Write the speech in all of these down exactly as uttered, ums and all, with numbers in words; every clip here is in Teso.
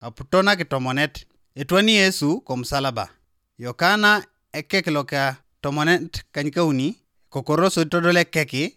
aputo nakitomonet. Etwani Yesu komusalaba. Yokana ekek lokatomonet kanykauni, kokoroso itodol ekeki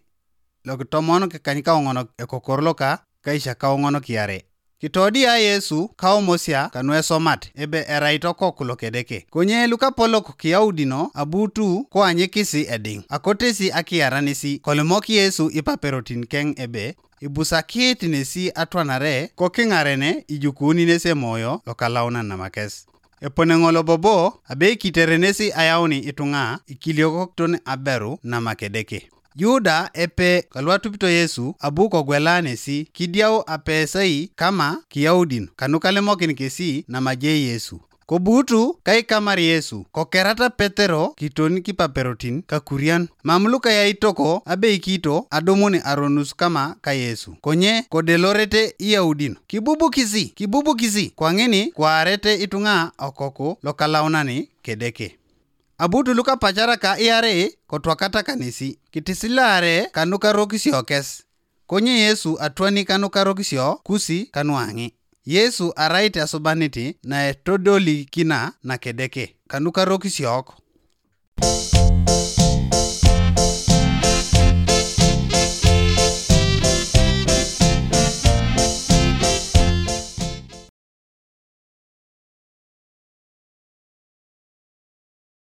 lokitomon kanykaoŋon ekokor loka kaisha kaoŋon kiare. Kitodia Yesu kaomosia kanuesomat ebe erait okok lokedeke. Konye lukapolok Kiyaudino abutu koanyikisi ediŋ, akotesi akiaranisi, kolimok Yesu ipaperotin keŋ ebe ibusakit nesi atwanare kokiŋarene ijukuuni nesi emoyo lokalaunan namakes. Epone ŋolo bobo abe kiterenesi ayauni ituŋa ikiliokokton aberu namakedeke. Yuda epe kaluatupito Yesu abu kogwela nesi kidiau apesai kama Kiyaudin kanukalimokin kesi namaje Yesu. Kobuutu kaikamar Yesu, kokerata Petero kiton kipaperotin kakurian, mam lukayaitoko abeikito adumun aronus kama ka Yesu. Konye kodelorete Iyaudin, kibubukisi, kibubukisi, kwaŋini kwaarete ituŋa okoku lokalaunani kedeke. Abutu lukapacaraka iarei kotwakata kanesi, kitisilaare kanukarokisiokes. Konye Yesu atwani kanukarokisio kusi kanuaŋi. Yesu arait asubaniti naetodolikina nakedeke kanukarokisiok.